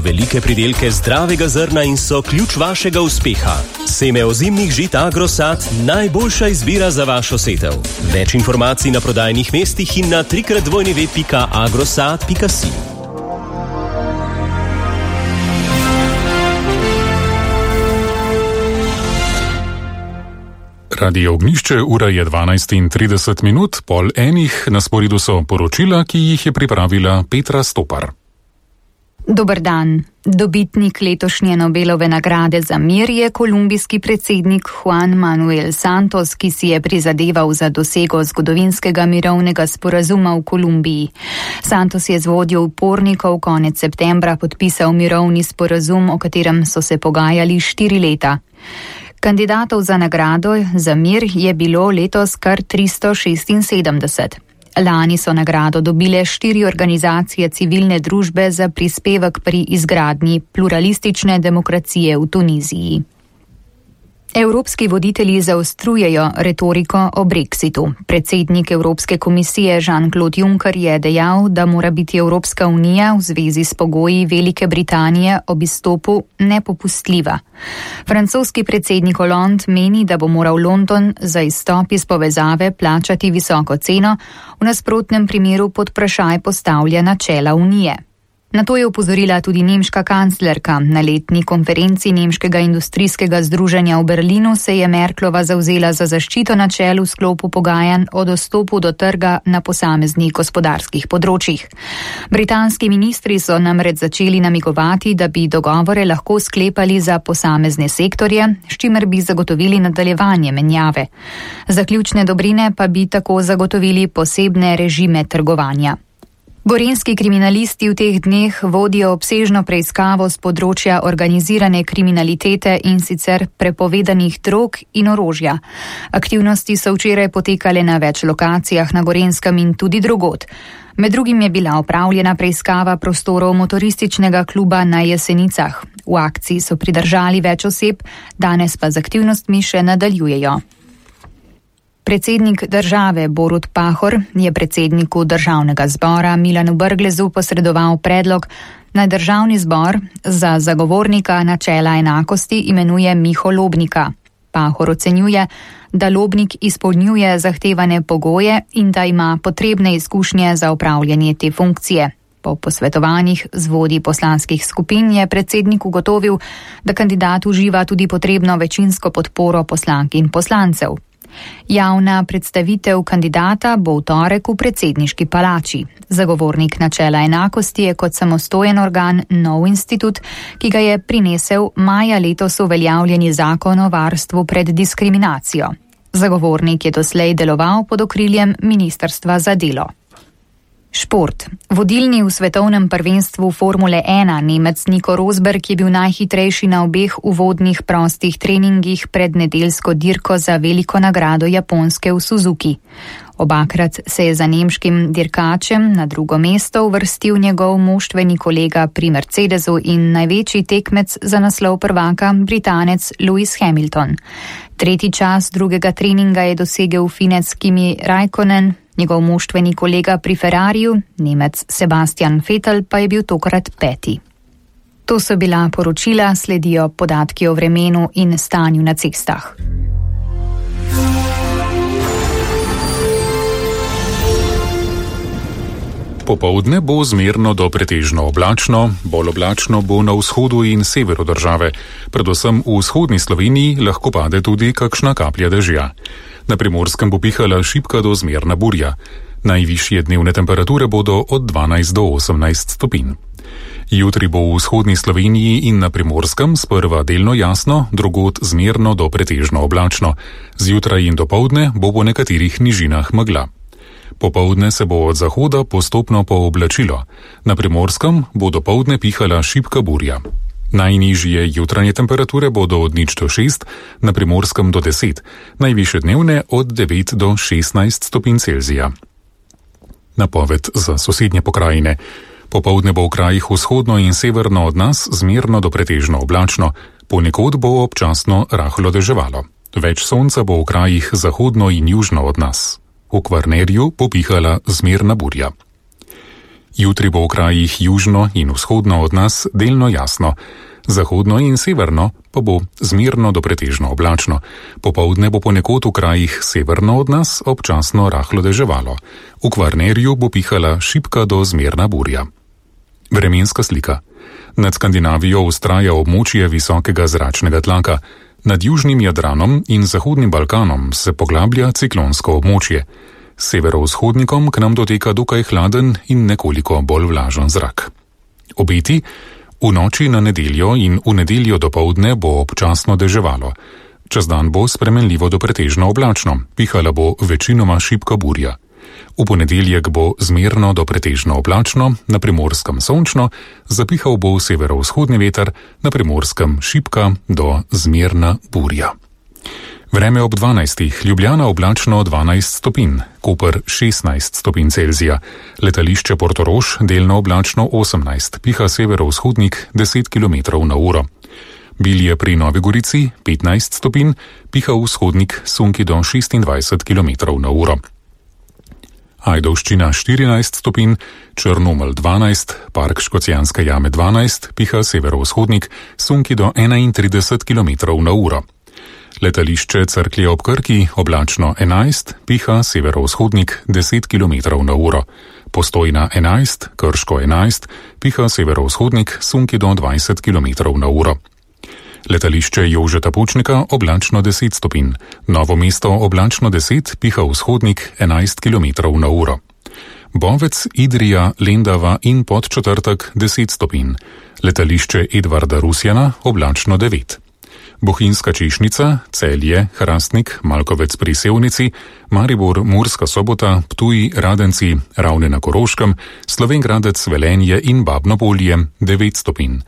Velike pridelke zdravega zrna in so ključ vašega uspeha. Seme ozimnih žit Agrosad, najboljša izbira za vašo setev. Več informacij na prodajnih mestih in na www.agrosad.si. Radio Ognjišče, ura je 12:30, pol enih, na sporedu so poročila, ki jih je pripravila Petra Stopar. Dober dan. Dobitnik letošnje Nobelove nagrade za mir je kolumbijski predsednik Juan Manuel Santos, ki si je prizadeval za dosego zgodovinskega mirovnega sporazuma v Kolumbiji. Santos je z vodjo upornikov konec septembra podpisal mirovni sporazum, o katerem so se pogajali 4 leta. Kandidatov za nagrado za mir je bilo letos kar 376. Lani so nagrado dobile 4 organizacije civilne družbe za prispevek pri izgradnji pluralistične demokracije v Tuniziji. Evropski voditelji zaostrujejo retoriko o Brexitu. Predsednik Evropske komisije Jean-Claude Juncker je dejal, da mora biti Evropska unija v zvezi s pogoji Velike Britanije ob izstopu nepopustljiva. Francoski predsednik Hollande meni, da bo moral London za izstop iz povezave plačati visoko ceno, v nasprotnem primeru pod vprašaj postavlja načela unije. Na to je opozorila tudi nemška kanclerka. Na letni konferenci Nemškega industrijskega združenja v Berlinu se je Merklova zavzela za zaščito načel v sklopu pogajanj o dostopu do trga na posameznih gospodarskih področjih. Britanski ministri so namreč začeli namigovati, da bi dogovore lahko sklepali za posamezne sektorje, s čimer bi zagotovili nadaljevanje menjave. Za ključne dobrine pa bi tako zagotovili posebne režime trgovanja. Gorenjski kriminalisti v teh dneh vodijo obsežno preiskavo z področja organizirane kriminalitete in sicer prepovedanih drog in orožja. Aktivnosti so včeraj potekale na več lokacijah na Gorenjskem in tudi drugod. Med drugim je bila opravljena preiskava prostorov motorističnega kluba na Jesenicah. V akciji so pridržali več oseb, danes pa z aktivnostmi še nadaljujejo. Predsednik države Borut Pahor je predsedniku državnega zbora Milanu Brglezu posredoval predlog, naj državni zbor za zagovornika načela enakosti imenuje Miho Lobnika. Pahor ocenjuje, da Lobnik izpolnjuje zahtevane pogoje in da ima potrebne izkušnje za upravljanje te funkcije. Po posvetovanjih z vodji poslanskih skupin je predsednik ugotovil, da kandidat uživa tudi potrebno večinsko podporo poslank in poslancev. Javna predstavitev kandidata bo v torek v predsedniški palači. Zagovornik načela enakosti je kot samostojen organ nov institut, ki ga je prinesel maja letos uveljavljeni zakon o varstvu pred diskriminacijo. Zagovornik je doslej deloval pod okriljem Ministrstva za delo. Šport. Vodilni v svetovnem prvenstvu Formule 1 Nemec Nico Rosberg je bil najhitrejši na obeh uvodnih prostih treningih pred nedeljsko dirko za veliko nagrado Japonske v Suzuki. Obakrat se je za nemškim dirkačem na drugo mesto uvrstil njegov moštveni kolega pri Mercedesu in največji tekmec za naslov prvaka, Britanec Lewis Hamilton. Tretji čas drugega treninga je dosegel Finec Kimi Räikkönen, njegov moštveni kolega pri Ferrariju, Nemec Sebastian Vettel, pa je bil tokrat 5. To so bila poročila, sledijo podatki o vremenu in stanju na cestah. Popoldne bo zmerno do pretežno oblačno, bolj oblačno bo na vzhodu in severu države. Predvsem v vzhodni Sloveniji lahko pade tudi kakšna kaplja dežja. Na Primorskem bo pihala šibka do zmerna burja. Najvišje dnevne temperature bodo od 12 do 18 stopinj. Jutri bo v vzhodni Sloveniji in na Primorskem sprva delno jasno, drugod zmerno do pretežno oblačno. Zjutraj in dopoldne bo po nekaterih nižinah megla. Popoldne se bo od zahoda postopno pooblačilo. Na Primorskem bo dopoldne pihala šibka burja. Najnižje jutranje temperature bodo od 0 do 6, na Primorskem do 10, najvišje dnevne od 9 do 16 stopinj Celzija. Napoved za sosednje pokrajine. Popoldne bo v krajih vzhodno in severno od nas zmerno do pretežno oblačno, ponekod bo občasno rahlo deževalo. Več sonca bo v krajih zahodno in južno od nas. V Kvarnerju bo pihala zmerna burja. Jutri bo v krajih južno in vzhodno od nas delno jasno, zahodno in severno pa bo zmerno do pretežno oblačno. Popoldne bo ponekod v krajih severno od nas občasno rahlo deževalo. V Kvarnerju bo pihala šibka do zmerna burja. Vremenska slika. Nad Skandinavijo vztraja območje visokega zračnega tlaka. Nad južnim Jadranom in zahodnim Balkanom se poglablja ciklonsko območje. S severovzhodnikom k nam doteka dokaj hladen in nekoliko bolj vlažen zrak. Obeti: v noči na nedeljo in v nedeljo dopoldne bo občasno deževalo. Čez dan bo spremenljivo do pretežno oblačno, pihala bo večinoma šibka burja. V ponedeljek bo zmerno do pretežno oblačno, na Primorskem sončno, zapihal bo severovzhodni veter, na Primorskem šibka do zmerna burja. Vreme ob 12. Ljubljana oblačno 12 stopinj, Koper 16 stopinj Celzija, letališče Portorož delno oblačno 18, piha severovzhodnik 10 km na uro. Bilje pri Novi Gorici 15 stopinj, piha vzhodnik sunki do 26 km na uro. Ajdovščina 14 stopinj, Črnomelj 12, Park Škocjanske jame 12, piha severovzhodnik, sunki do 31 km na uro. Letališče Cerklje ob Krki oblačno 11, piha severovzhodnik 10 km na uro. Postojna 11, Krško 11, piha severovzhodnik, sunki do 20 km na uro. Letališče Jožeta Pučnika oblačno 10 stopinj, Novo mesto oblačno 10, piha vzhodnik 11 km na uro. Bovec, Idrija, Lendava in Podčetrtek 10 stopinj, letališče Edvarda Rusjana oblačno 9. Bohinjska Češnica, Celje, Hrastnik, Malkovec pri Sevnici, Maribor, Murska Sobota, Ptuj, Radenci, Ravne na Koroškem, Slovenj Gradec, Velenje in Babno Polje 9 stopinj.